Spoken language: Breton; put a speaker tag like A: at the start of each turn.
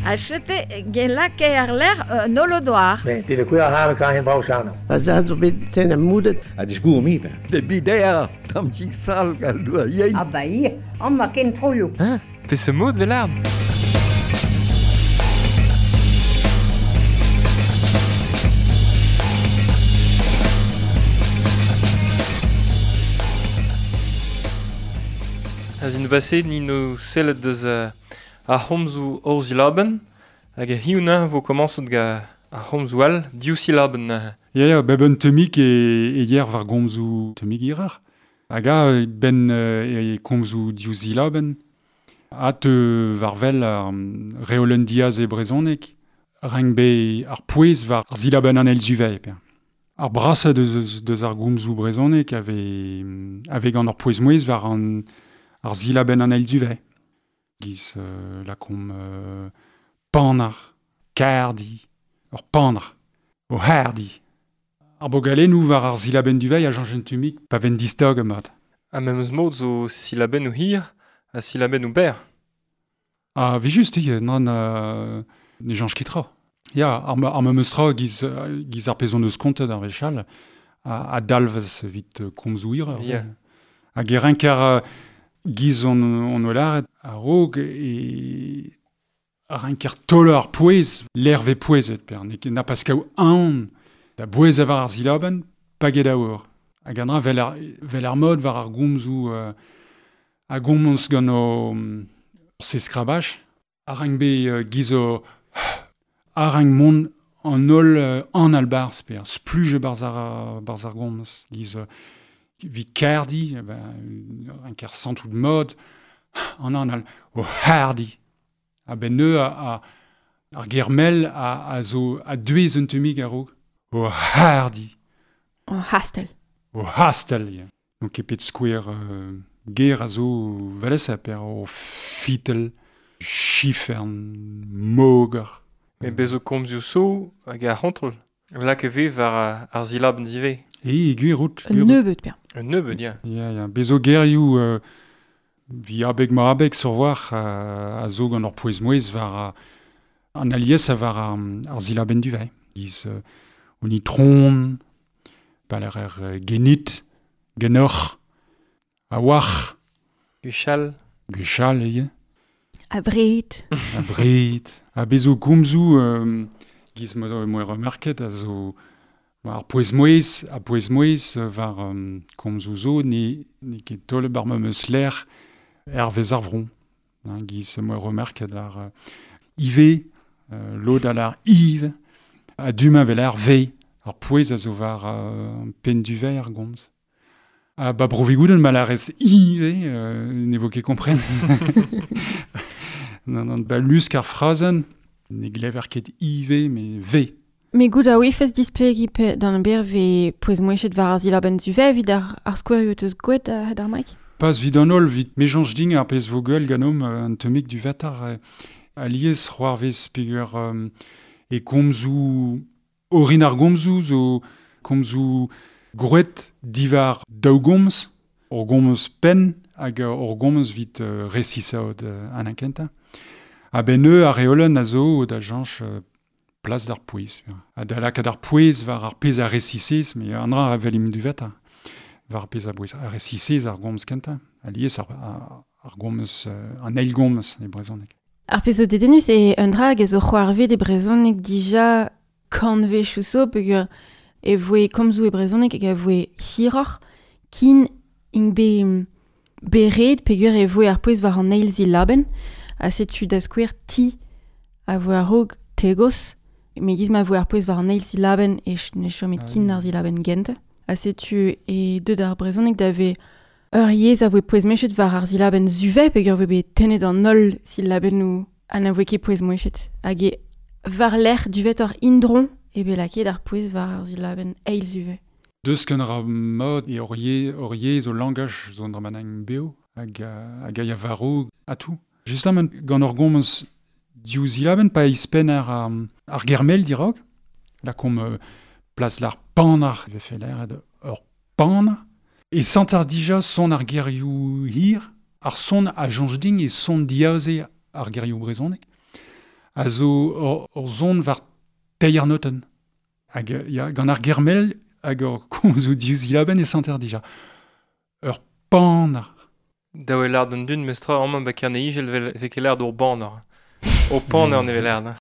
A: A chete gen lake ar ler nolodoar.
B: Ne, de kuer har kan hen brau chano.
C: Pa za zo bet ten am moudet.
D: A disgour mi ben.
E: De bider, tam ti sal gal doa yein.
F: Ah ba ir, an ma ken troio.
G: Hein? Pe se mod vel A zin baset ni no sellet deus ar c'homzoù ur zilabenn, hag a hiuna vo komañsot ga ar c'homzoù all div silabenn.
H: Ya, ya, beb un temik e yer war gomzoù temik irar. Hag a ben e komzoù div silabenn. A te war vel ar reolen diaz e brezonek, reng be ar pouez war ar silabenn an el zuvei. Ar brasa deus ar gomzoù brezonek ave gant ar pouez mouez war an ar zilabenn an eil zuvei. Giz lakom panar, kardi, ur panar, o hardi. Ar bogalennoù war ar zilabenn duvei a janjen tumik pa ven distog mat.
G: A memes mod zo silabenn ou hir a silabenn ou ber.
H: Ah, vi just, non, ne janj kitra. Ya, ar memes tra giz ar pezon eus kontet ar vechal a dalvez vit komzoù hir.
G: Yeah.
H: Hag e renkar giz on olaret a rog e a renker tol ar pouez, l'erve pouezet, per ne na pas kaou an da bouez avar ar zilaben, pa get aour. Hag an dra vel ar mod war ar gomzoù a gomz gant o se skrabach, a renk be giz o a renk mont an ol an albarz, per spluge barz ar gomz, giz vi kardi, ben, un ker santout mod, an an o hardi. A ben neu a ar germel a zo a duez un temig a rog. O hardi.
I: O hastel.
H: O hastel, ya. Donc epet skouer ger a zo valesa per o fitel, chifern, moger.
G: Me bezo komzioù so hag ar c'hontrol. Lak e ve war ar zilabenn zive.
H: E, gwir out.
I: Un nebeud, per.
G: Un nebeud, ya.
H: Ya, ya. Bezo gerioù vi abeg ma abeg sur war a zo gant ur pouez mouez war an alies a war ar zilabenn duvei. Giz on itron, paler er genit, genoc'h, a war.
G: Gwechall.
H: Gwechall, ya.
I: A bred.
H: A bred. A bezo gomzoù giz mo remarket a zo ar pouez mouez, a pouez mouez war komzoù zo ne ket tole bar meus ler hervez ar vron. Hein, giz mo remarket ar ive, lod al ar ive, a dumañ vel ar ve, ar pouez a zo war pen duvei ar gomz. A ba brovigouden mal ar ez ive, ne vo ket kompren. Non, ba lusk ar frazen, ne glever ket ive, me ve.
I: Me gout a oifez displegi pe d'an ber ve pouez mouechet war ar zilabenn zuve vid ar skouerioù teus gouet a ar maik?
H: Pas vid an ol, vid mejanj ding ar pez vo gwell ganom an temik du vatar a liez c'hoar vez peger e komzoù orin ar gomzoù zo komzoù grouet divar daou gomz, ur gomz penn hag ur gomz vit resisaod an ankenta. A ben eu ar reolen a zo da janch plas d'ar pouez. A da lakaat ar pouez war ar pez a resisez, me an dra a velim du veta. War ar pez a bouez a resisez ar gomz kenta. A liez ar gomz, an eil gomz e brezhoneg.
I: Ar pez zo dedenus e un dra hag ez o c'hoarvet e brezhoneg dija kantvechou zo peogwir e voe komzoù e brezhoneg hag a voe hiroc'h kin int be bered peogwir e voe ar pouez war an eil zilabenn. A setu da skouer ti a voe a-raok tegos, me giz ma voe ar pouez war an eil silabenn e ne chomet kin ar silabenn gent. A setu e deut ar brezhoneg da ve ur yezh a voe pouez mechet war ar silabenn zuve peogwir voe bet tennet an holl silabennoù ha na voe ket pouez mouechet. Hag e war lec'h duvet ur indron e bet lakaet ar pouez war ar silabenn eil zuve.
H: Deus ken ra mod e ur yezh o langaj zo an dra beo hag hag a varo a tout. Justement, gant ur gomz div zilabenn pa ispenn ar germel dirog, la kom plas l'ar panar, vefe l'air ur pan, e sant ar dija son ar gerioù hir, ar son a jonj ding e son diaze ar gerioù brezhoneg. A zo ur zon war teir notenn. Hag ya, gant ar germel hag ur komzoù diouzh zilabenn e santer dija. Ur panar.
G: Daou e lard an dun mestra amañ ba Kerne Igel ve ket lard ur banar. O paner ne vel lard.